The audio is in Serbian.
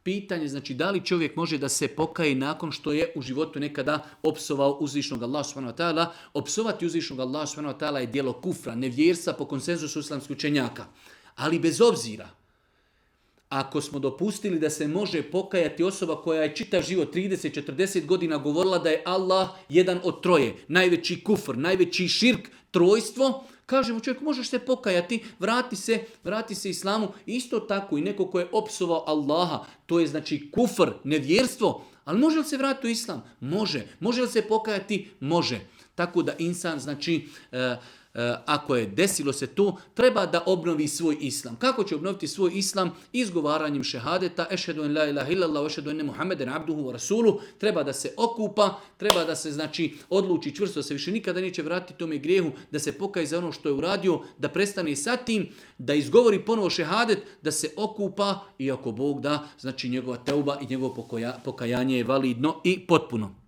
pitanje, znači da li čovjek može da se pokaje nakon što je u životu nekada opsovao uzvišnog Allaha subhanahu wa ta'ala. Opsovati uzvišnog Allaha subhanahu wa ta'ala je djelo kufra, nevjerstva po konsenzusu islamskih učenjaka. Ali bez obzira, ako smo dopustili da se može pokajati osoba koja je čitav život 30-40 godina govorila da je Allah jedan od troje, najveći kufr, najveći širk, trojstvo, kažemo čovjeku možeš se pokajati, vrati se islamu. Isto tako i neko ko je opsovao Allaha, to je znači kufr, nevjerstvo, ali može li se vratiti u islam? Može. Može li se pokajati? Može. Tako da insan znači... ako je desilo se to, treba da obnovi svoj islam. Kako će obnoviti svoj islam? Izgovaranjem šehadeta, ešhedu en la ilaha illallah, ešhedu enne Muhammeden abduhu wa rasuluhu. Treba da se okupa, treba da se znači odluči čvrsto, da se više nikada neće vratiti tome grijehu, da se pokaje za ono što je uradio, da prestane sa tim, da izgovori ponovo šehadet, da se okupa i ako Bog da, znači njegova teuba i njegovo pokajanje je validno i potpuno.